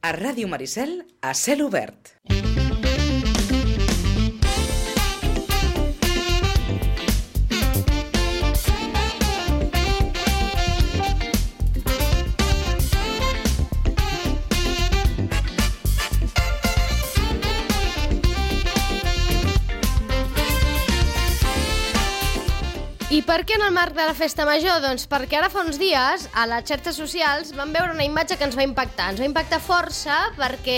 A Ràdio Maricel, a cel obert. I per què en el marc de la festa major? Doncs perquè ara fa uns dies a les xarxes socials vam veure una imatge que ens va impactar. Ens va impactar força perquè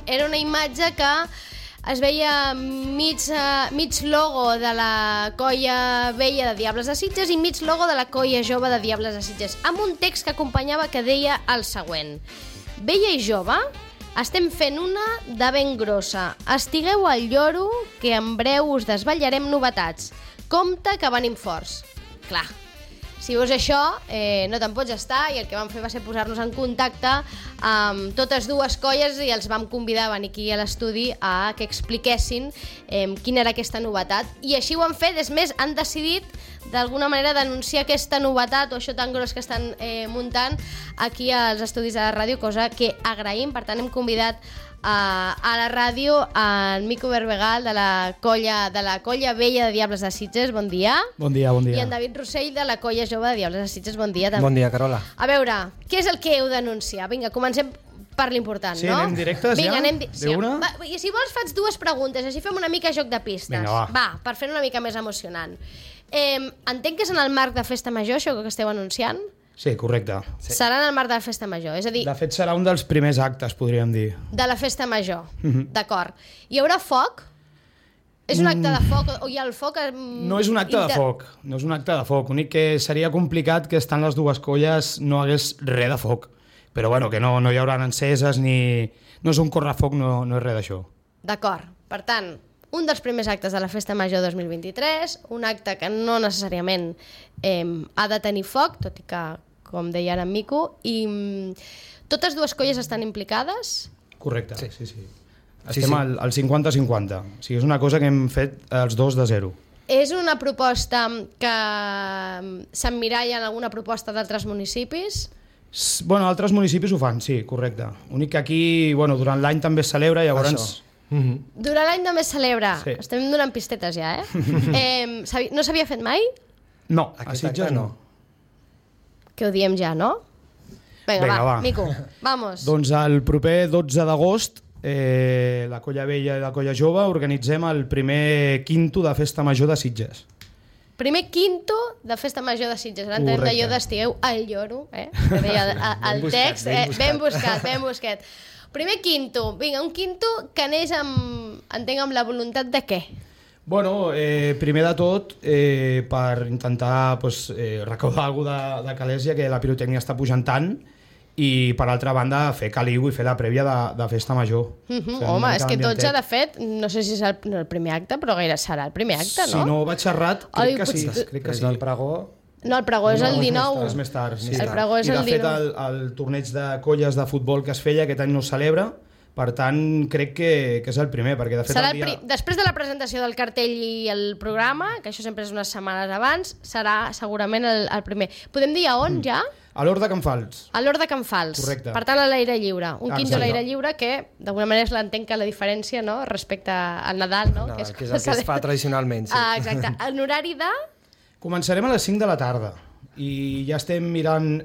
era una imatge que es veia mig logo de la colla vella de Diables de Sitges i mig logo de la colla jove de Diables de Sitges, amb un text que acompanyava que deia el següent: vella i jove, estem fent una de ben grossa. Estigueu al lloro, que en breu us desvetllarem novetats. Compte que venim forts. Clar, si veus això, no te'n pots estar, i el que vam fer va ser posar-nos en contacte amb totes dues colles i els vam convidar a venir aquí a l'estudi a que expliquessin quina era aquesta novetat. I així ho han fet, és més, han decidit d'alguna manera denunciar aquesta novetat o això tan gros que estan muntant aquí als estudis de la ràdio, cosa que agraïm. Per tant, hem convidat a la ràdio en Mico Berbegal de la colla vella de Diables de Sitges. Bon dia. Bon dia, bon dia. I en David Rossell de la colla jove de Diables de Sitges. Bon dia també. Bon dia, Carola. A veure, què és el que heu denunciar? Vinga, comencem per l'important, sí, no? Sí, anem directes. Vinga, ja? D'una? I si vols faig dues preguntes, així fem una mica joc de pistes. Vinga, va, per fer una mica més emocionant. Entenc que és en el marc de Festa Major, això que esteu anunciant? Sí, correcte. Sí. Serà en el marc de la Festa Major, és a dir... De fet, serà un dels primers actes, podríem dir. De la Festa Major, d'acord. Hi haurà foc? És un acte de foc? O hi ha el foc? No és un acte de foc, no és un acte de foc. L'únic que seria complicat que estant les dues colles no hagués res de foc. Però bueno, que no hi haurà enceses ni... No és un correfoc, no és res d'això. D'acord. Per tant, un dels primers actes de la Festa Major 2023, un acte que no necessàriament ha de tenir foc, tot i que, com deia ara en Mico, i totes dues colles estan implicades? Correcte, sí. Estem al 50-50, o sigui, és una cosa que hem fet els dos de zero. És una proposta que s'emmiralla en alguna proposta d'altres municipis? Bueno, altres municipis ho fan, sí, correcte. L'únic que aquí, bueno, durant l'any també es celebra, llavors... Durant l'any també es celebra. Sí. Estem donant pistetes ja, no s'havia fet mai? No, a Sitges no. Que ho diem ja, no? Vinga, va, Mico, vamos. Doncs el proper 12 d'agost, la Colla Vella i la Colla Jove organitzem el primer quinto de Festa Major de Sitges. Primer quinto de Festa Major de Sitges. Ara entenem d'allò d'estigueu al lloro, que deia el text. Ben buscat. Primer quinto. Vinga, un quinto que neix entenc amb la voluntat de què? Bueno, primer de tot, per intentar recaudar alguna cosa de Calèsia, que la pirotècnia està pujant tant, i per altra banda fer caliu i fer la prèvia de Festa Major. Home, és que tots, de fet, no sé si és el primer acte, però gaire serà el primer acte, no? Si no vaig errat, crec que sí. És el pregó? No, el pregó és el 19. És més tard. El pregó és el 19. I de fet, el torneig de colles de futbol que es feia aquest any no es celebra. Per tant, crec que és el primer, perquè de fet serà després de la presentació del cartell i el programa, que això sempre és unes setmanes abans, serà segurament el primer. Podem dir a on ja? A l'Hort de Can Fals. A l'Hort de Can Fals. Correcte. Per tant, a l'aire lliure. Un quinto a l'aire lliure que, d'alguna manera, l'entenc que la diferència, no?, respecte al Nadal, no? Que és el que es fa tradicionalment, sí. Exacte. En horari de... Començarem a les 5 de la tarda. I ja estem mirant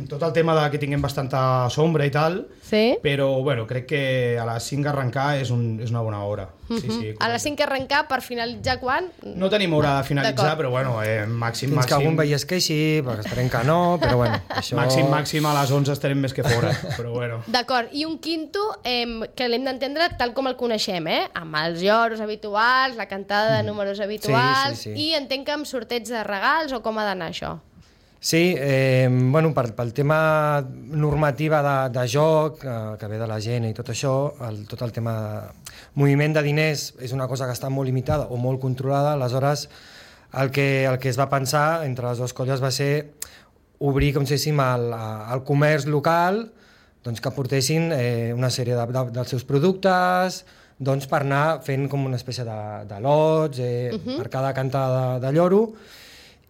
tot el tema de que tinguem bastanta sombra i tal, sí? Però bueno, crec que a les 5 arrencar és una bona hora. Sí, a les 5 arrencar per finalitzar quan? No tenim hora de finalitzar, però bueno, màxim. Fins que algun veí es queixi, perquè esperem que no, però bueno, això... Màxim a les 11 estarem més que fora, però bueno. D'acord, i un quinto que l'hem d'entendre tal com el coneixem, amb els lloros habituals, la cantada de números habituals, sí. I entenc que amb sorteig de regals o com ha d'anar això? Sí, bueno, pel tema normativa de joc, que ve de la gent i tot això, tot el tema de moviment de diners és una cosa que està molt limitada o molt controlada, aleshores el que es va pensar entre les dues colles va ser obrir, com si diguéssim, el comerç local, doncs que portessin una sèrie dels seus productes, doncs per anar fent com una espècie de lots per cada cantada de lloro.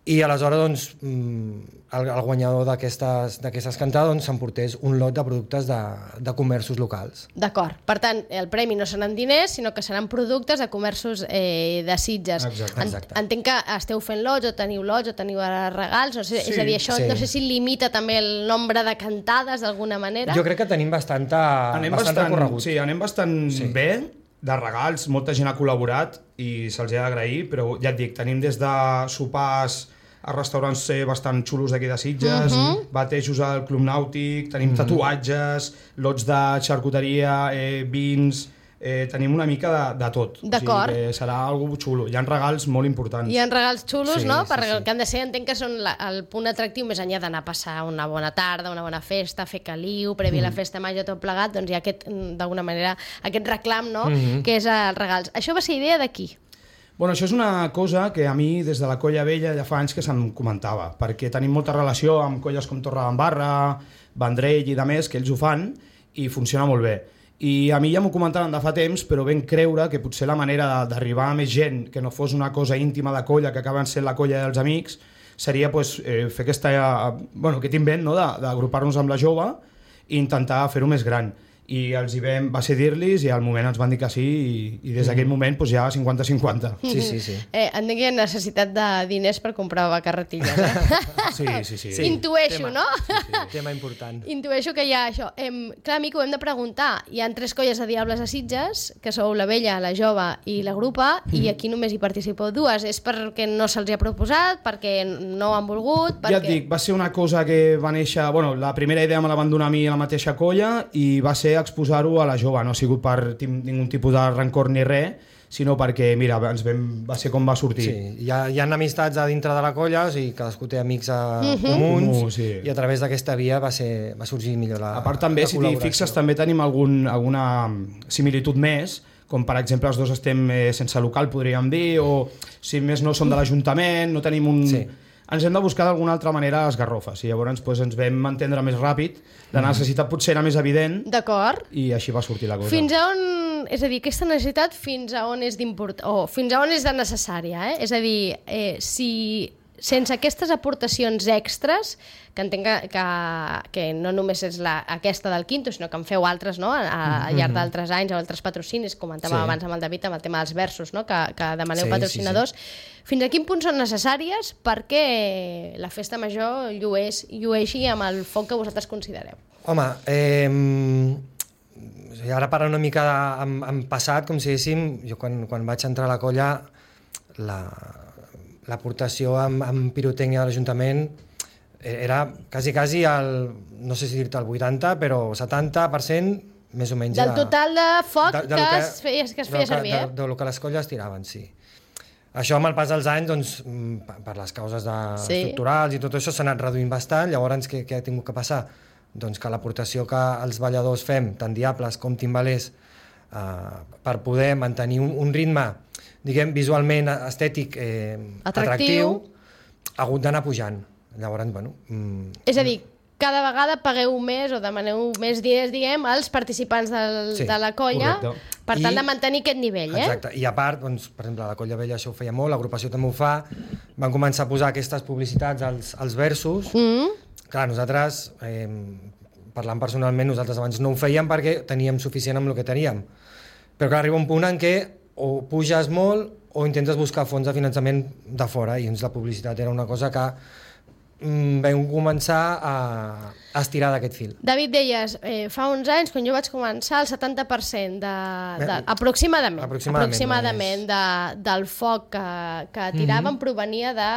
i aleshores doncs, el guanyador d'aquestes cantades s'emportés un lot de productes de comerços locals. D'acord. Per tant, el premi no seran diners, sinó que seran productes de comerços de Sitges. Exacte. Entenc que esteu fent lots o teniu regals, no sé, és a dir, això no sé si limita també el nombre de cantades d'alguna manera. Jo crec que tenim bastant recorregut. Sí, anem bastant bé de regals, molta gent ha col·laborat i se'ls ha d'agrair, però ja et dic, tenim des de sopars a restaurants bastant xulos d'aquí de Sitges, batejos al Club Nàutic, tenim tatuatges, lots de xarcuteria, vins, tenim una mica de tot. D'acord. O sigui, serà algo xulo. Hi ha regals molt importants. Hi ha regals xulos, Sí, no? sí, Perquè sí. el que han de ser, entenc que són el punt atractiu més enllà d'anar a passar una bona tarda, una bona festa, fer caliu, previ a la festa major, tot plegat, doncs hi ha d'alguna manera aquest reclam, no? Que és els regals. Això va ser idea de qui? Bueno, això és una cosa que a mi, des de la Colla Vella, ja fa anys que se'm comentava, perquè tenim molta relació amb colles com Torredembarra, Vendrell i de més, que ells ho fan, i funciona molt bé. I a mi ja m'ho comentaven de fa temps, però ben creure que potser la manera d'arribar a més gent, que no fos una cosa íntima de colla, que acaben sent la colla dels amics, seria pues, fer aquest invent, no? D'agrupar-nos amb la jove i intentar fer-ho més gran. I els hi va ser dir-los i al moment ens van dir que sí i des d'aquell moment pues, ja 50-50. Sí. Entenc que hi ha necessitat de diners per comprar carretilles, Sí. Intueixo, no? Tema important. Intueixo que hi ha això. Clar, Mico, hem de preguntar. Hi ha 3 colles de diables a Sitges, que sou la Vella, la Jove i la Grupa, i aquí només hi participeu 2. És perquè no se'ls ha proposat, perquè no han volgut... Perquè... Ja et dic, va ser una cosa que va néixer... Bueno, la primera idea me la van donar a mi a la mateixa colla i va ser exposar-ho a la Jove. No ha sigut per ningun tipus de rancor ni res, sinó perquè, mira, va ser com va sortir. Sí, hi ha amistats a dintre de la colla, o sigui, cadascú té amics comuns, sí. i a través d'aquesta via va sorgir millor la A part també, si t'hi fixes, també tenim alguna similitud més, com per exemple els dos estem sense local, podríem dir, o si més no som de l'Ajuntament, no tenim un... Sí. Ens hem de buscar d'alguna altra manera les garrofes, i llavors pues, ens vam entendre més ràpid, la necessitat potser era més evident, D'acord. i així va sortir la cosa. Fins a on... És a dir, aquesta necessitat fins a on és fins a on és de necessària, És a dir, si sense aquestes aportacions extres, que entenc que no només és aquesta del Quinto, sinó que en feu altres, no? Al llarg d'altres anys, o altres patrocinis, comentàvem abans amb el David, amb el tema dels versos, no? que demaneu patrocinadors. Fins a quin punt són necessàries perquè la festa major llueixi amb el foc que vosaltres considereu? Home, ara parlant una mica en passat, com si diguéssim, jo quan vaig entrar a la colla, l'aportació amb pirotècnia de l'Ajuntament era quasi no sé si dir-te el 80, però 70% més o menys. Del total de foc que es feia servir, del que les colles tiraven, sí. Això, amb el pas dels anys, doncs, per les causes estructurals i tot això, s'ha anat reduint bastant. Llavors, què ha tingut que passar? Doncs que l'aportació que els balladors fem, tant diables com timbalers, per poder mantenir un ritme, diguem, visualment estètic atractiu, ha hagut d'anar pujant. Llavors, bueno... És a dir, cada vegada pagueu més o demaneu més diners, diguem, als participants de la colla, correcte. per tal de mantenir aquest nivell, Exacte, i a part, doncs, per exemple, la Colla Vella això ho feia molt, l'agrupació també ho fa, van començar a posar aquestes publicitats als versos. Clar, nosaltres, parlant personalment, nosaltres abans no ho fèiem perquè teníem suficient amb el que teníem. Però clar, arriba un punt en què o puges molt o intentes buscar fons de finançament de fora, i la publicitat era una cosa que vam començar a estirar d'aquest fil. David, deies, fa uns anys, quan jo vaig començar, el 70% aproximadament del foc que tiraven provenia de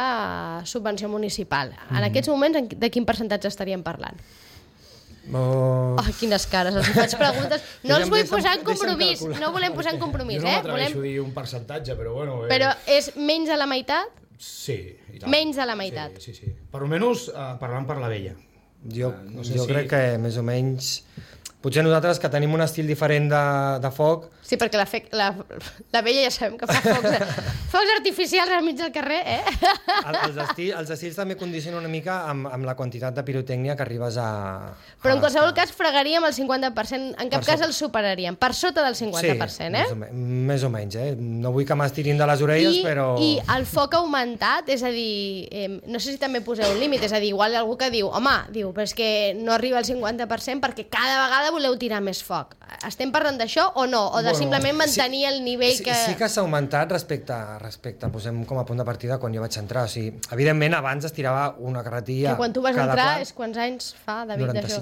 subvenció municipal. En aquests moments, de quin percentatge estaríem parlant? Quines cares, els faig preguntes. No els vull posar en compromís, no volem posar en compromís, Jo no m'atreveixo a dir un percentatge, però bueno... Però és menys de la meitat? Sí, i tant. Menys de la meitat? Sí. Per almenys parlant per la Vella. Jo crec que més o menys Potser nosaltres que tenim un estil diferent de foc... Sí, perquè la vella ja sabem que fa focs artificials al mig del carrer, Els estils també condicionen una mica amb la quantitat de pirotècnia que arribes a... Però en qualsevol cas fregaríem el 50%, en cap cas el superaríem, per sota del 50%, Sí, més o menys, No vull que m'estirin de les orelles, però... I el foc ha augmentat, és a dir, no sé si també poseu un límit, és a dir, igual hi ha algú que diu, home, però és que no arriba al 50% perquè cada vegada voleu tirar més foc. Estem parlant d'això o no? O de simplement mantenir el nivell que... Sí que s'ha augmentat respecte, posem com a punt de partida quan jo vaig entrar. O sigui, evidentment, abans es tirava una carretilla... Que quan tu vas entrar és quants anys fa, David, d'això?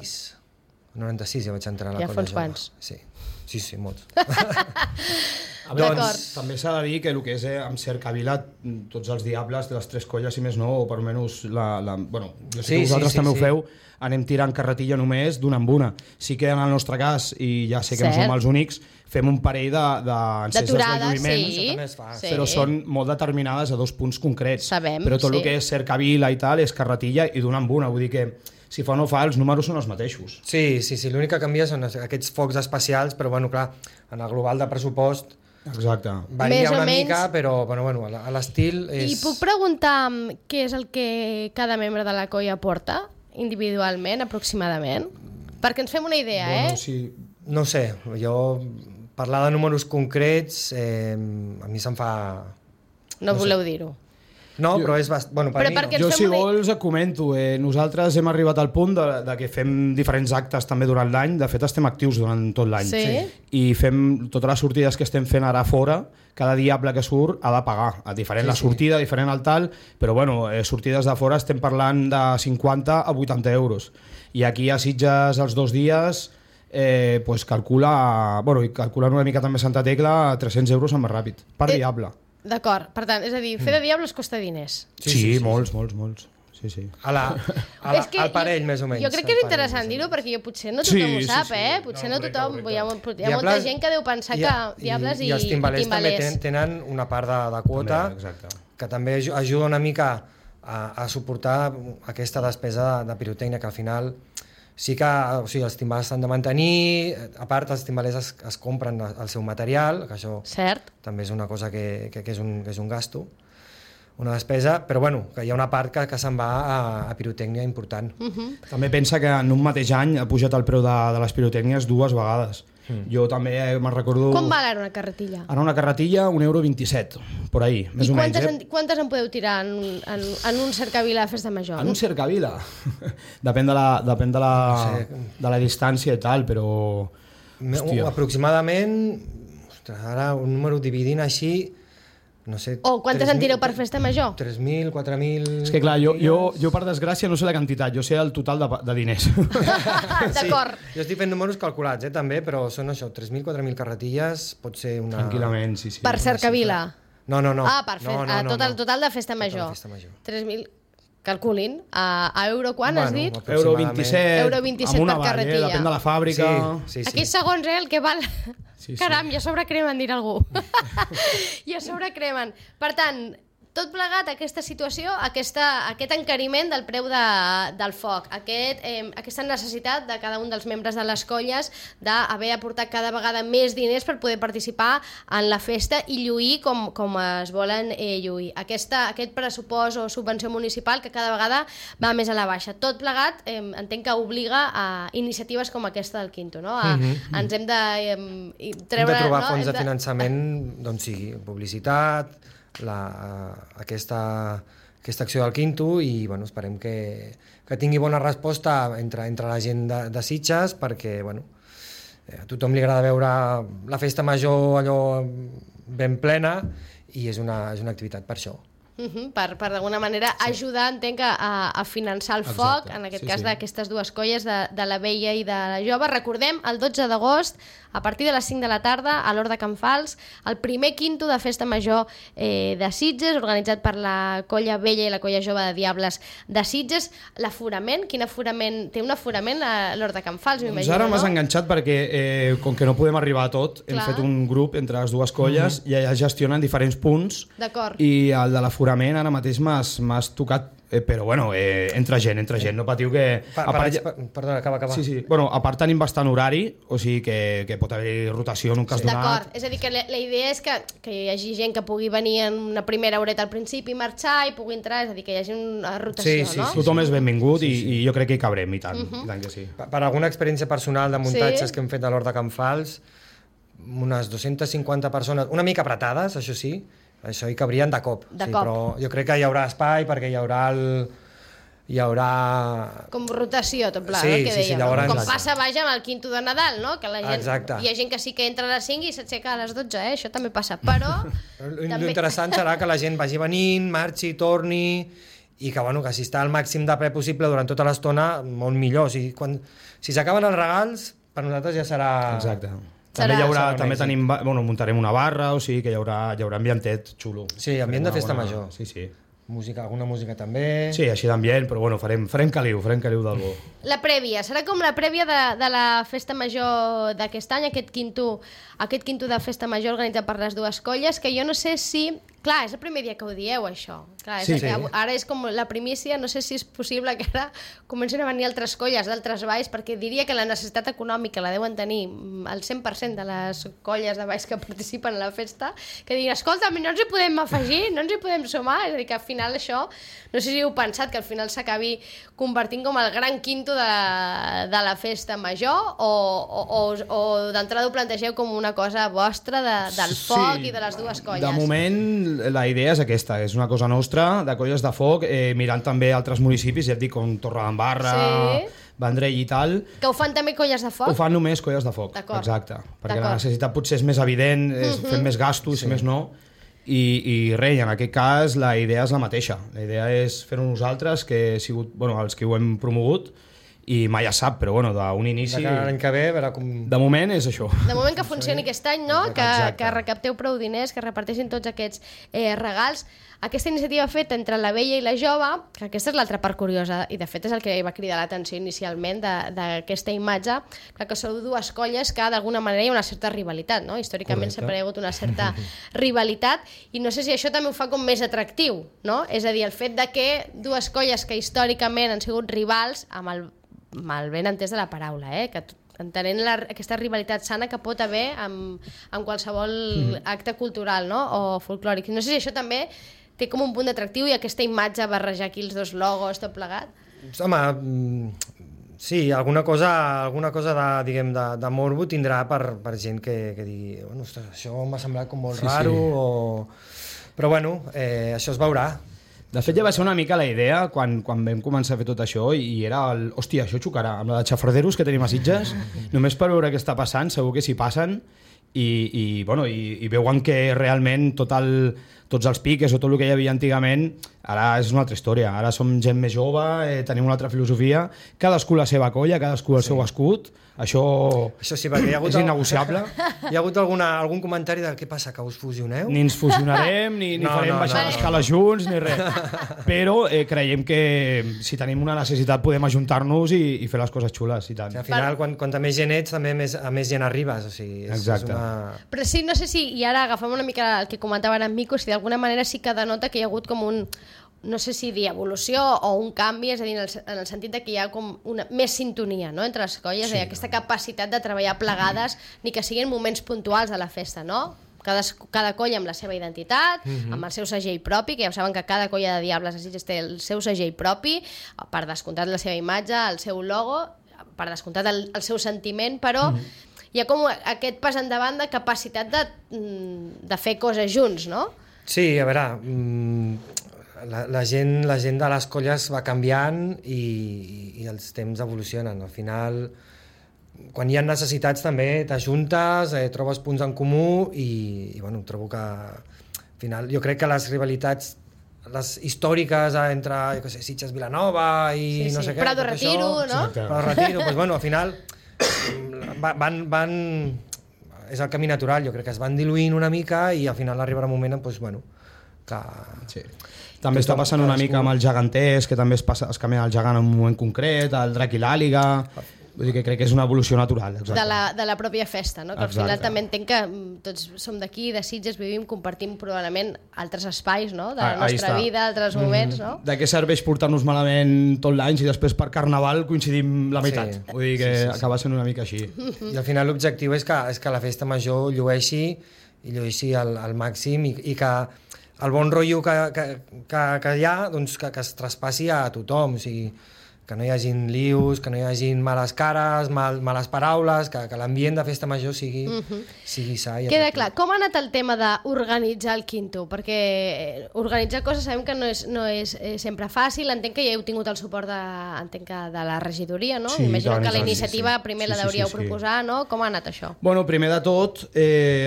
96 ja vaig entrar a la colla jove. Ja fa uns quants. Sí, molts. A veure, també s'ha de dir que el que és amb Cercavila, tots els diables de les tres colles, si més no, o per almenys bueno, jo sé que vosaltres també ho feu, anem tirant carretilla només d'una en una. Sí que en el nostre cas, i ja sé que no som els únics, fem un parell d'enceses de lluïments, però són molt determinades a 2 punts concrets. Però tot el que és Cercavila i tal és carretilla i d'una en una, vull dir que si fa o no fa, els números són els mateixos. Sí, l'únic que canvia són aquests focs especials, però bueno, clar, en el global de pressupost varia una mica, però bueno, l'estil és... I puc preguntar què és el que cada membre de la colla porta individualment, aproximadament? Perquè ens fem una idea, Sí. No sé, jo parlar de números concrets a mi se'm fa... No voleu dir-ho? No, però és per mi no. Jo, si vols, et comento. Nosaltres hem arribat al punt de que fem diferents actes també durant l'any. De fet, estem actius durant tot l'any. Sí. I fem totes les sortides que estem fent ara fora. Cada diable que surt ha de pagar. Diferent la sortida, diferent el tal, però bueno, sortides de fora estem parlant de 50 a 80 euros. I aquí a Sitges els 2 dies pues calcula una mica també Santa Tecla 300 euros amb més ràpid, per diable. D'acord, per tant, és a dir, fer de diables costa diners. Sí, molts. Sí. Al parell, més o menys. Jo crec que és interessant dir-ho, perquè potser no tothom ho sap, Potser no tothom... Hi ha molta gent que deu pensar que diables i els timbalers també tenen una part de quota que també ajuda una mica a suportar aquesta despesa de pirotècnia, que al final sí que els timbalers s'han de mantenir, a part els timbalers es compren el seu material, que això també és una cosa que és un gasto, una despesa, però bueno, que hi ha una part que se'n va a pirotècnia important. També pensa que en un mateix any ha pujat el preu de les pirotècnies 2 vegades. Jo també me'n recordo... Com val ara una carretilla? Ara una carretilla, €1,27, per ahí, més o menys. I quantes en podeu tirar en un Cercavila a Festa Major? En un Cercavila? Depèn de la distància i tal, però... Aproximadament, ara un número dividint així... No sé, o quantes en tireu per Festa Major? 3.000, 4.000... És que clar, jo per desgràcia no sé la quantitat, jo sé el total de diners. D'acord. Jo estic fent números calculats, també, però són això, 3.000, 4.000 carretilles, pot ser una... Tranquil·lament, sí. Per Cercavila? No. Tot el total de Festa Major. 3.000... Calculin, a euro quan has dit? €1,27 amb una carretilla. Depèn de la fàbrica. Sí. Aquí segons el que val... Sí. Caram, ja sobrecremen, dirà algú. Ja sobrecremen. Per tant, tot plegat, aquesta situació, aquest encariment del preu del foc, aquesta necessitat de cada un dels membres de les colles d'haver aportat cada vegada més diners per poder participar en la festa i lluir com es volen lluir. Aquest pressupost o subvenció municipal que cada vegada va més a la baixa. Tot plegat entenc que obliga a iniciatives com aquesta del Quinto, no? Ens hem de treure... Hem de trobar fons de finançament, doncs sí, publicitat, aquesta acció del Quinto, i bueno, esperem que tingui bona resposta entre la gent de Sitges, perquè a tothom li agrada veure la festa major allò ben plena, i és una activitat per això. Per d'alguna manera ajudar, entenc, a finançar el foc, en aquest cas d'aquestes dues colles, de la vella i de la jove. Recordem, el 12 d'agost, a partir de les 5 de la tarda, a l'Hort de Can Fals, el primer Quinto de Festa Major de Sitges, organitzat per la colla vella i la colla jove de Diables de Sitges. L'aforament, quin aforament? Té un aforament a l'Hort de Can Fals, m'imagino, no? Ara m'has enganxat perquè, com que no podem arribar a tot, hem fet un grup entre les dues colles i ja gestionen diferents punts. D'acord. I el de l'aforament ara mateix m'has tocat però bueno, entra gent, no patiu que... Perdona, acaba. Sí. Bueno, a part tenim bastant horari, o sigui que pot haver rotació en un cas donat. D'acord, és a dir, que la idea és que hi hagi gent que pugui venir en una primera horeta al principi, marxar i pugui entrar, és a dir, que hi hagi una rotació, no? Tothom és benvingut i jo crec que hi cabrem, i tant, i tant que sí. Per alguna experiència personal de muntatges que hem fet a l'Hort de Can Fals, unes 250 persones, una mica apretades, això sí, això hi cabrien de cop. Però jo crec que hi haurà espai perquè hi haurà... Com rotació, tot pla, sí, el que dèiem. llavors... Com passa, vaja, amb el quinto de Nadal, no? Que la gent... Exacte. Hi ha gent que sí que entra a les 5 i s'aixeca a les 12, això també passa, però... L'interessant serà que la gent vagi venint, marxi, torni, i que, bueno, que si està al màxim de ple possible durant tota l'estona, molt millor. Si s'acaben els regals, per nosaltres ja serà... Exacte. També tenim, bueno, muntarem una barra, o sigui que hi haurà ambientet xulo. Sí, ambient de festa major. Sí. Alguna música també... Sí, així d'ambient, però bueno, farem caliu del bo. La prèvia, serà com la prèvia de la festa major d'aquest any, aquest quinto de festa major organitzat per les dues colles, que jo no sé si... Clar, és el primer dia que ho dieu, això. Clar, ara és com la primícia, no sé si és possible que ara comencin a venir altres colles d'altres valls, perquè diria que la necessitat econòmica la deuen tenir el 100% de les colles de valls que participen a la festa, que diguin, escolta, no ens hi podem afegir, no ens hi podem sumar, és a dir, que al final això, no sé si heu pensat que al final s'acabi convertint com el gran quinto de la festa major, o d'entrada ho plantegeu com una cosa vostra del foc i de les dues colles? De moment la idea és aquesta, és una cosa nostra, de colles de foc, mirant també altres municipis, ja et dic, com Torredembarra, Vendrell i tal. Que ho fan també colles de foc? Ho fan només colles de foc, exacte. Perquè la necessitat potser és més evident, fem més gastos, més no, i res, en aquest cas la idea és la mateixa. La idea és fer-ho nosaltres, que he sigut els que ho hem promogut, i mai es sap, però bueno, d'un inici... L'any que ve, veurà com... De moment és això. De moment que funcioni aquest any, no? Que recapteu prou diners, que reparteixin tots aquests regals. Aquesta iniciativa feta entre la vella i la jove, que aquesta és l'altra part curiosa, i de fet és el que va cridar l'atenció inicialment d'aquesta imatge, que sou dues colles que d'alguna manera hi ha una certa rivalitat, no? Històricament sempre hi ha hagut una certa rivalitat, i no sé si això també ho fa com més atractiu, no? És a dir, el fet de que dues colles que històricament han sigut rivals, amb el ben entès de la paraula, que entenent aquesta rivalitat sana que pot haver en qualsevol acte cultural, no? O folclòric. No sé si això també té com un punt d'atractiu i aquesta imatge barrejar aquí els dos logos, tot plegat. Home, sí, alguna cosa de morbo tindrà per gent que digui, bueno, ostres, això m'ha semblat com molt raro, però bueno, això es veurà. De fet, ja va ser una mica la idea quan vam començar a fer tot això, i era hòstia, això xocarà amb la de xafarderos que tenim a Sitges, només per veure què està passant, segur que s'hi passen, i veuen que realment tots els piques o tot el que hi havia antigament ara és una altra història, ara som gent més jove, tenim una altra filosofia, cadascú la seva colla, cadascú el seu escut, això sí, perquè hi ha hagut és innegociable. Hi ha hagut algun comentari de què passa, que us fusioneu? Ni ens fusionarem, ni farem baixar l'escala junts, ni res. Però creiem que si tenim una necessitat podem ajuntar-nos i fer les coses xules, i tant. Al final, quan més gent ets, també a més gent arribes. O sigui, exacte. Però sí, no sé si, i ara agafem una mica el que comentava ara en Mico, si d'alguna manera sí que denota que hi ha hagut com un, no sé si dir evolució o un canvi, és a dir, en el sentit de que hi ha com més sintonia, no?, entre les colles, aquesta capacitat de treballar plegades, ni que siguin moments puntuals de la festa, no? Cada colla amb la seva identitat, amb el seu segell propi, que ja ho saben que cada colla de Diables a Sitges té el seu segell propi, per descomptat la seva imatge, el seu logo, per descomptat el seu sentiment, però hi ha com aquest pas endavant de capacitat de fer coses junts, no? Sí, a veure, la gent de les colles va canviant i els temps evolucionen. Al final, quan hi ha necessitats també t'ajuntes, trobes punts en comú i bueno, trobo que al final jo crec que les rivalitats les històriques entre Sitges Vilanova i no sé què, Prado Retiro, no? Prado Retiro, doncs bueno, al final van és el camí natural, jo crec que es van diluint una mica i al final arribarà un moment doncs, bueno, que... Sí. També està passant una mica amb el geganters, que també es canvia el gegant en un moment concret, el drac i l'àliga... Vull dir que crec que és una evolució natural. Exacte. De la pròpia festa, no? Que al final també entenc que tots som d'aquí, de Sitges, vivim, compartim probablement altres espais, no? De la nostra vida, altres moments, no? De què serveix portar-nos malament tot l'any si després per Carnaval coincidim la meitat? Sí. Vull dir que acaba sent una mica així. I al final l'objectiu és que la festa major llueixi al màxim i que el bon rotllo que hi ha, doncs que es traspassi a tothom, o sigui, que no hi hagin lius, que no hi hagin males cares, males paraules, que l'ambient de festa major sigui sa. Queda clar. Com ha anat el tema d'organitzar el Quinto? Perquè organitzar coses sabem que no és sempre fàcil. Entenc que ja heu tingut el suport de la regidoria, no? Sí, imagino que la iniciativa primer la deuríeu proposar, no? Com ha anat això? Bueno, primer de tot,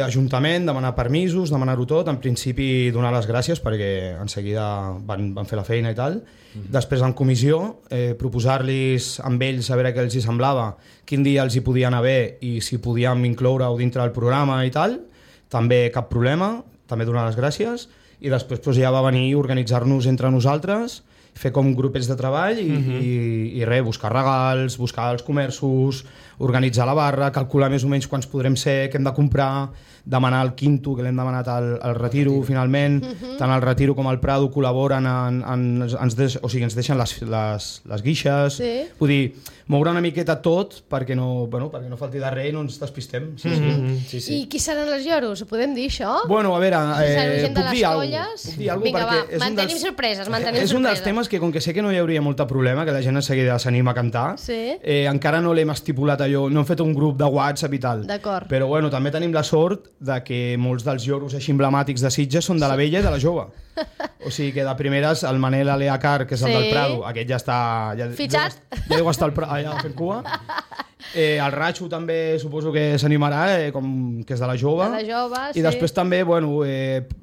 Ajuntament, demanar permisos, demanar-ho tot. En principi, donar les gràcies perquè en seguida van fer la feina i tal. Després, en comissió, proposar-los amb ells a veure què els hi semblava, quin dia els hi podia anar bé i si podíem incloure-ho dintre del programa i tal. També cap problema, també donar les gràcies. I després ja va venir organitzar-nos entre nosaltres, fer com grupets de treball i res, buscar regals, buscar els comerços, organitzar la barra, calcular més o menys quants podrem ser, què hem de comprar, demanar el Quinto, que l'hem demanat al Retiro, finalment. Tant el Retiro com el Prado col·laboren, ens deixen les guixes. Sí. Vull dir, moure una miqueta tot perquè no falti de res i no ens despistem. Sí. I qui seran els lloros? Ho podem dir, això? Bueno, a veure, puc dir alguna cosa. Vinga, va, mantenim sorpreses. És un dels temes que, com que sé que no hi hauria molt problema, que la gent de seguida s'anima a cantar, encara no l'hem estipulat allò, no hem fet un grup de WhatsApp i tal. D'acord. Però bueno, també tenim la sort de que molts dels lloros així emblemàtics de Sitges són de la vella i de la jove. O sigui que de primeres el Manel Aleacar, que és el del Prado, aquest ja està... Fitxat? Ja deu estar allà fent cua. El Ratxo també suposo que s'animarà, que és de la jove. De la jove, sí. I després també,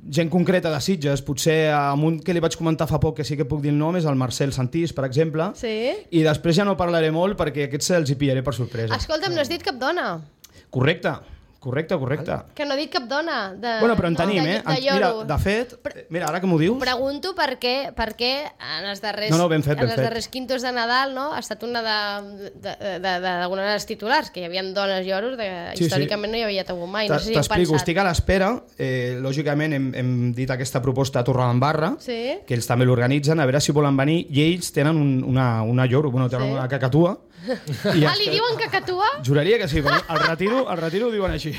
gent concreta de Sitges, potser amb un que li vaig comentar fa poc, que sí que puc dir el nom, és el Marcel Santís, per exemple. Sí. I després ja no parlaré molt perquè aquests els hi pillaré per sorpresa. Escolta'm, no has dit cap dona. Correcte. Que no he dit cap dona. Bueno, però en tenim, Mira, de fet, ara que m'ho dius... Pregunto per què en els darrers, ben fet. darrers quintos de Nadal, no, ha estat una d'algunes de les titulars, que hi havia dones lloros, històricament no hi havia hagut mai. No sé si heu T'explico, pensat. estic a l'espera. Lògicament hem dit aquesta proposta a Torredembarra, que ells també l'organitzen, a veure si volen venir, i ells tenen una lloro, tenen una cacatua. Li diuen cacatua? Juraria que sí, però al retiro ho diuen així.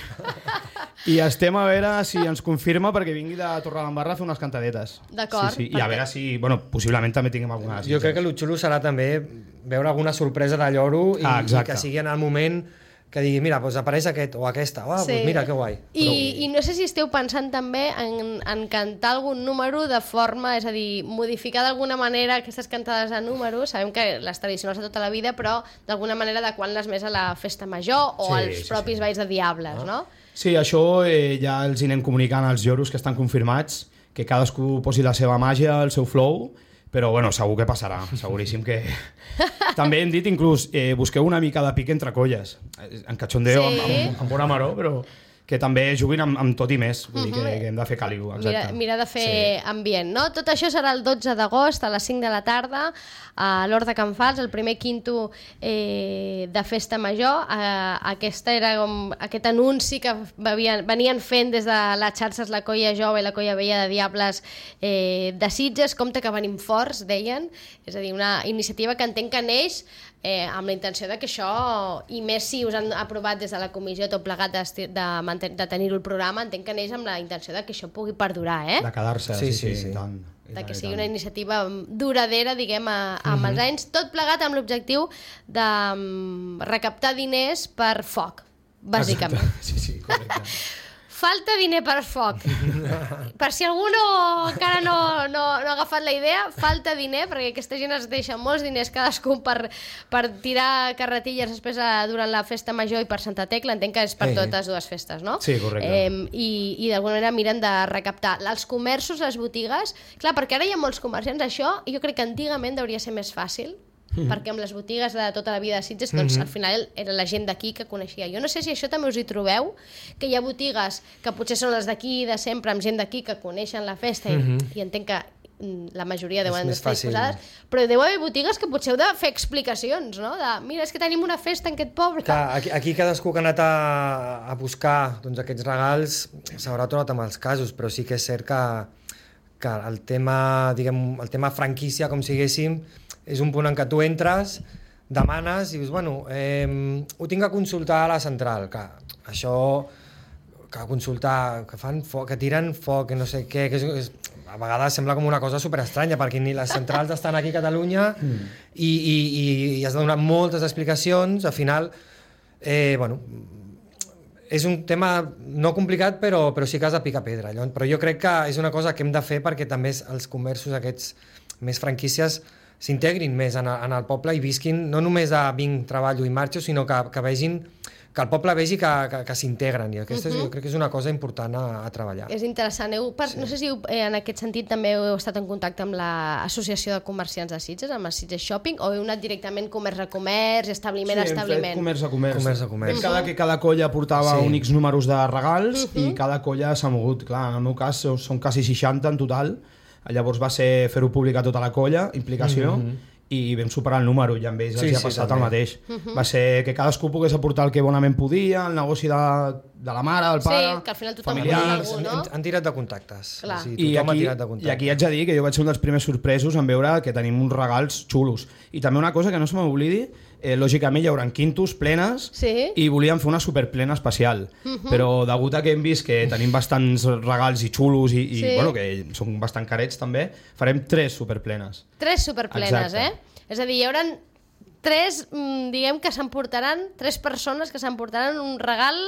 I estem a veure si ens confirma perquè vingui de Torredembarra a fer unes cantadetes. D'acord. Sí. I a veure si... possiblement també tinguem alguna... Jo crec que el xulo serà també veure alguna sorpresa de lloro i que sigui en el moment que digui, mira, apareix aquest o aquesta, mira, que guai. I no sé si esteu pensant també en cantar algun número de forma, és a dir, modificar d'alguna manera aquestes cantades a números, sabem que les tradicionals de tota la vida, però d'alguna manera adequant-les més a la festa major o als propis balls de Diables, no? Sí, això ja els anem comunicant als lloros que estan confirmats, que cadascú posi la seva màgia, el seu flow, però segur que passarà, seguríssim que... També hem dit inclús, busqueu una mica de pic entre colles, en cachondeo, amb bona maror, però que també juguin amb tot i més, vull dir que hem de fer càliu, exacte. Mira de fer ambient, no? Tot això serà el 12 d'agost a les 5 de la tarda a l'Hort de Can Fals, el primer Quinto de festa major. Aquest anunci que venien fent des de les xarxes la Colla Jove i la Colla Vella de Diables de Sitges. Compte que venim forts, deien, és a dir, una iniciativa que entenc que neix amb la intenció de que això, i més si us han aprovat des de la comissió tot plegat de tenir-ho el programa, entenc que neix amb la intenció de que això pugui perdurar, de quedar-se, sí. Tant. De que sigui una iniciativa duradera, diguem, amb els anys, tot plegat amb l'objectiu de recaptar diners per foc, bàsicament. Exacte. Sí, correcte. Falta diner per foc. Per si algú encara no ha agafat la idea, falta diner, perquè aquesta gent es deixa molts diners cadascú per tirar carretilles després durant la festa major i per Santa Tecla. Entenc que és per totes dues festes, no? Sí, correcte. I d'alguna manera miren de recaptar. Els comerços, les botigues... Clar, perquè ara hi ha molts comerciants, això jo crec que antigament hauria ser més fàcil, perquè amb les botigues de tota la vida de Sitges doncs al final era la gent d'aquí que coneixia. Jo no sé si això també us hi trobeu, que hi ha botigues que potser són les d'aquí de sempre, amb gent d'aquí que coneixen la festa i entenc que la majoria deuen més estar fàcil. disposades, però deu haver botigues que potser heu de fer explicacions, no? De, mira, és que tenim una festa en aquest poble. Clar, aquí cadascú que ha anat a buscar doncs, aquests regals s'haurà trobat amb els casos, però sí que és cert que el tema, diguem, el tema franquícia, com siguéssim, és un punt en què tu entres, demanes i dius, bueno, ho tinc a consultar a la central, que això, que consultar, que fan foc, que tiren foc, que no sé què, que a vegades sembla com una cosa superestranya, perquè ni les centrals estan aquí a Catalunya i has de donar moltes explicacions, al final, bueno, és un tema no complicat, però sí que has de picar pedra. Però jo crec que és una cosa que hem de fer perquè també els comerços aquests més franquícies s'integrin més en el poble i visquin, no només de vinc, treballo i marxo, sinó que vegin, que el poble vegi que s'integren, i aquesta jo crec que és una cosa important a treballar. És interessant. No sé si en aquest sentit també heu estat en contacte amb l'Associació de Comerciants de Sitges, amb el Sitges Shopping, o heu anat directament comerç a comerç, establiment a establiment? Comerç a comerç. Comerç a comerç. Cada colla portava un X números de regals i cada colla s'ha mogut. Clar, en el meu cas són quasi 60 en total. Llavors va ser fer-ho públic a tota la colla, implicació, i vam superar el número, i amb ells els ha passat el mateix. Va ser que cadascú pogués aportar el que bonament podia, el negoci de la mare, del pare, sí, que al final tothom familiars. algú, no? Han tirat de contactes. Clar. O sigui, tothom ha tirat de contactes. I aquí haig de dir que jo vaig ser un dels primers sorpresos en veure que tenim uns regals xulos. I també una cosa que no se m'oblidi, lògicament hi haurà quintos plenes i volíem fer una superplena especial, però degut a que hem vist que tenim bastants regals i xulos i bueno, que són bastant carets també, farem 3 superplenes. 3 superplenes, exacte. És a dir, hi haurà 3, diguem que s'emportaran, 3 persones que s'emportaran un regal...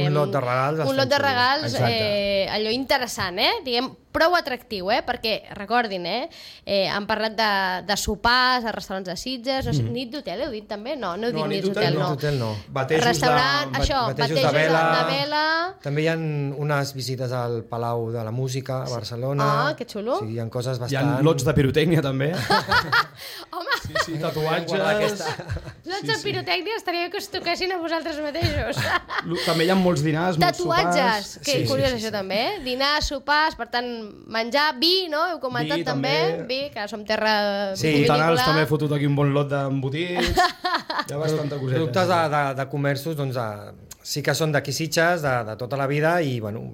un lot de regals. Un lot de regals, allò interessant, diguem, prou atractiu, perquè, recordin, han parlat de sopars a restaurants de Sitges, no sé, nit d'hotel heu dit també? No, no heu dit nit d'hotel, no. no. Restaurant, batejos de vela... També hi ha unes visites al Palau de la Música a Barcelona. Ah, que xulo. Sí, hi ha coses bastant... Hi ha lots de pirotècnia també. Home! Sí, tatuatges... Lots de pirotècnia estaria bé que us toquessin a vosaltres mateixos. També hi ha molts dinars, molts sopars... Tatuatges, que curiós això també, dinars, sopars, per tant, menjar, vi, no? Heu comentat també, vi, que som terra Fontanals també he fotut aquí un bon lot d'embotits, hi ha bastanta coseta. Productes de comerços, doncs, sí que són d'aquí Sitges, de tota la vida, i, bueno,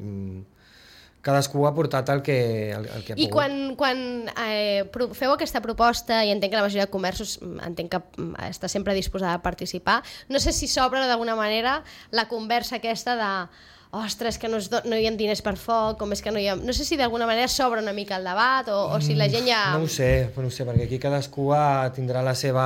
cadascú ha portat el que ha pogut. I quan feu aquesta proposta, i entenc que la majoria de comerços entenc que està sempre disposada a participar, no sé si s'obre d'alguna manera la conversa aquesta de ostres, que no hi ha diners per foc, com és que no hi ha... No sé si d'alguna manera s'obre una mica el debat o si la gent ja... No ho sé, perquè aquí cadascú tindrà la seva...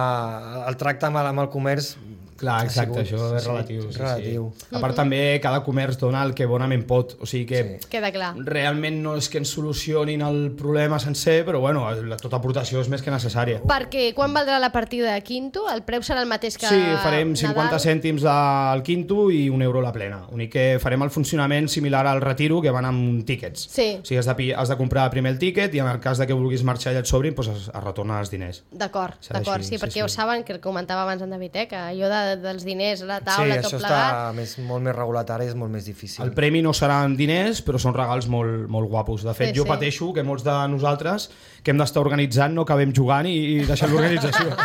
El tracte amb el comerç... Clar, exacte, això és relatiu. Relatiu. A part també cada comerç dona el que bonament pot, o sigui que queda clar. Realment no és que ens solucionin el problema sencer, però bueno, tota aportació és més que necessària. Perquè quan valdrà la partida de quinto? El preu serà el mateix que Sí, farem 50 cèntims del quinto i €1 la plena. Únic que farem el funcionament similar al retiro, que van amb tíquets. Sí. O sigui, has de comprar primer el tíquet i en el cas de que vulguis marxar i et sobrin, doncs es retornen els diners. D'acord, sí, perquè ho saben, que comentava abans en David, que allò dels diners a la taula, tot plegat... Sí, això està molt més regulat ara, és molt més difícil. El premi no seran diners, però són regals molt, molt guapos. De fet, jo pateixo que molts de nosaltres que hem d'estar organitzant no acabem jugant i deixant l'organització.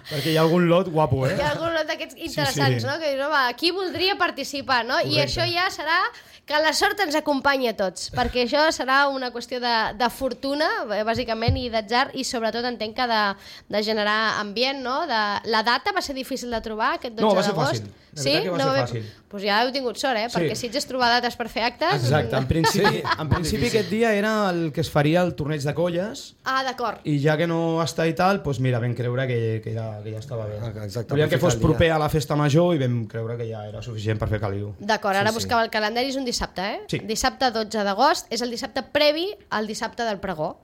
Perquè hi ha algun lot guapo, Hi ha algun lot d'aquests interessants, no? Que dius, home, qui voldria participar, no? Correcte. I això ja serà que la sort ens acompanyi a tots, perquè això serà una qüestió de fortuna, bàsicament, i d'atzar, i sobretot entenc que de generar ambient, no? La data va ser difícil de trobar, aquest 12 d'agost. No, va ser fàcil. Sí? Que va ser fàcil. Doncs ja heu tingut sort, perquè si ets trobar dates per fer actes... Exacte, en principi aquest dia era el que es faria el torneig de colles. Ah, d'acord. I ja que no està i tal, doncs mira, vam creure que ja estava bé. Exacte, volíem que fos proper a la festa major i vam creure que ja era suficient per fer caliu. D'acord, ara buscava el calendari, és un dissabte, Sí. Dissabte 12 d'agost, és el dissabte previ al dissabte del pregó.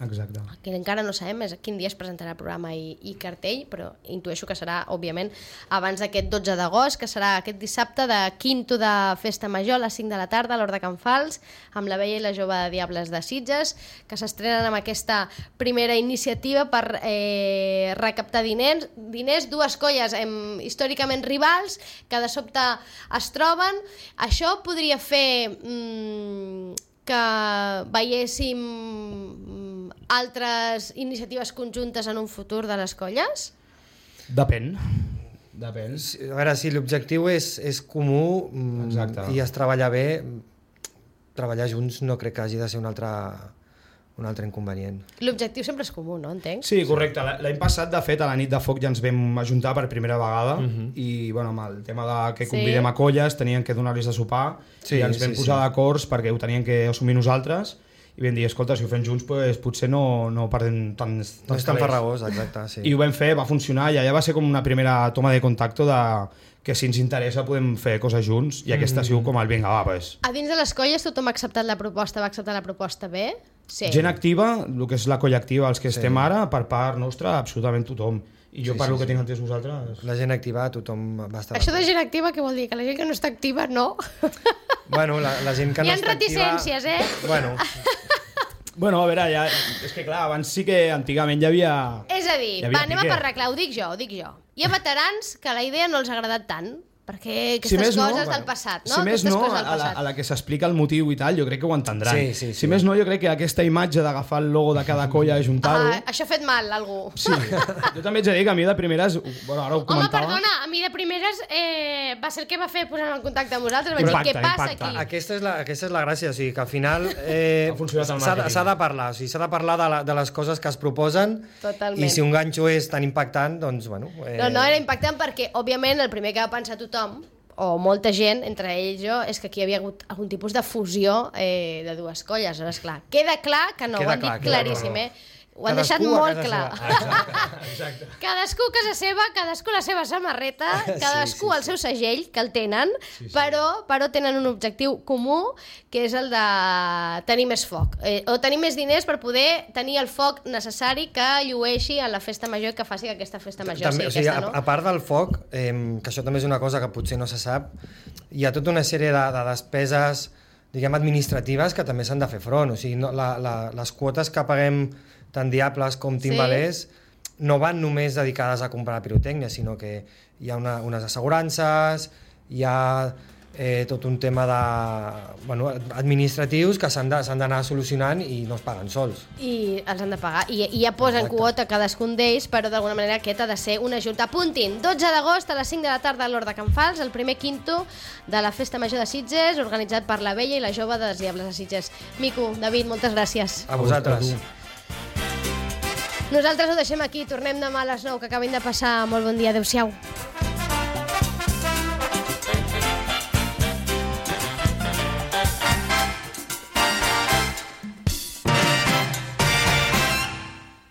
Exacte. Que encara no sabem quin dia es presentarà el programa i cartell, però intueixo que serà, òbviament, abans d'aquest 12 d'agost, que serà aquest dissabte de quinto de festa major a les 5 de la tarda a l'Hort de Can Fals, amb la Bella i la Jove de Diables de Sitges, que s'estrenen amb aquesta primera iniciativa per recaptar diners, dues colles històricament rivals, que de sobte es troben. Això podria fer que veiéssim altres iniciatives conjuntes en un futur de les colles? Depèn. A veure, si l'objectiu és comú i es treballa bé, treballar junts no crec que hagi de ser un altre inconvenient. L'objectiu sempre és comú, no? Entenc? Sí, correcte. L'any passat, de fet, a la nit de foc ja ens vam ajuntar per primera vegada i, bueno, amb el tema de que convidem a colles, tenien que donar-los de sopar i ens vam posar d'acords perquè ho tenien que assumir nosaltres i vam dir, escolta, si ho fem junts potser no perdem tants no és tan farragós, exacte, sí. I ho vam fer, va funcionar i allà va ser com una primera toma de contacte de que si ens interessa podem fer coses junts i aquesta ha sigut com el vinga, va, pues. A dins de les colles tothom ha acceptat la proposta, va acceptar la proposta bé? Sí. Gent activa, el que és la colla activa, els que estem ara, per part nostra, absolutament tothom. I jo parlo que tinc entès vosaltres. La gent activa, tothom va estar... Això de gent activa què vol dir? Que la gent que no està activa, no? Bueno, la gent que no està activa... Hi ha reticències, Bueno, a veure, ja... És que clar, abans sí que antigament hi havia... És a dir, anem a per arreglar, ho dic jo. Hi ha veterans que la idea no els ha agradat tant, perquè aquestes coses del passat, no? Si més no, a la que s'explica el motiu i tal, jo crec que ho entendran. Si més no, jo crec que aquesta imatge d'agafar el logo de cada colla i ajuntar-ho... Això ha fet mal, algú. Sí, jo també ets a dir que a mi de primeres... Bueno, ara ho comentava... Home, perdona, a mi de primeres va ser el que va fer posar-me en contacte amb vosaltres. Vaig dir, què passa aquí? Aquesta és la gràcia, o sigui, que al final s'ha de parlar, o sigui, s'ha de parlar de les coses que es proposen. Totalment. I si un ganxo és tan impactant, doncs, bueno... No, era impactant perquè, òbviament, el primer que va pensar tothom, o molta gent, entre ells jo, és que aquí hi havia hagut algun tipus de fusió de dues colles. Esclar, queda clar que no, ho han dit claríssim, ho han deixat molt clar. Exacte. Cadascú a casa seva, cadascú la seva samarreta, cadascú el seu segell, que el tenen, però tenen un objectiu comú, que és el de tenir més foc, o tenir més diners per poder tenir el foc necessari que llueixi a la festa major i que faci que aquesta festa major sigui aquesta, no? A part del foc, que això també és una cosa que potser no se sap, hi ha tota una sèrie de despeses, diguem, administratives que també s'han de fer front. O sigui, les quotes que paguem tant Diables com Timbalers no van només dedicades a comprar pirotècnia, sinó que hi ha unes assegurances, hi ha tot un tema administratius que s'han d'anar solucionant i no es paguen sols. I els han de pagar. I ja posen quota cadascun d'ells, però d'alguna manera aquest ha de ser una junta. Apuntin, 12 d'agost a les 5 de la tarda a l'Hort de Can Fals, el primer quinto de la Festa Major de Sitges, organitzat per la Vella i la Jove de les Diables de Sitges. Mico, David, moltes gràcies. A vosaltres. Nosaltres ho deixem aquí, tornem demà a les 9, que acabin de passar. Molt bon dia, adeu-siau.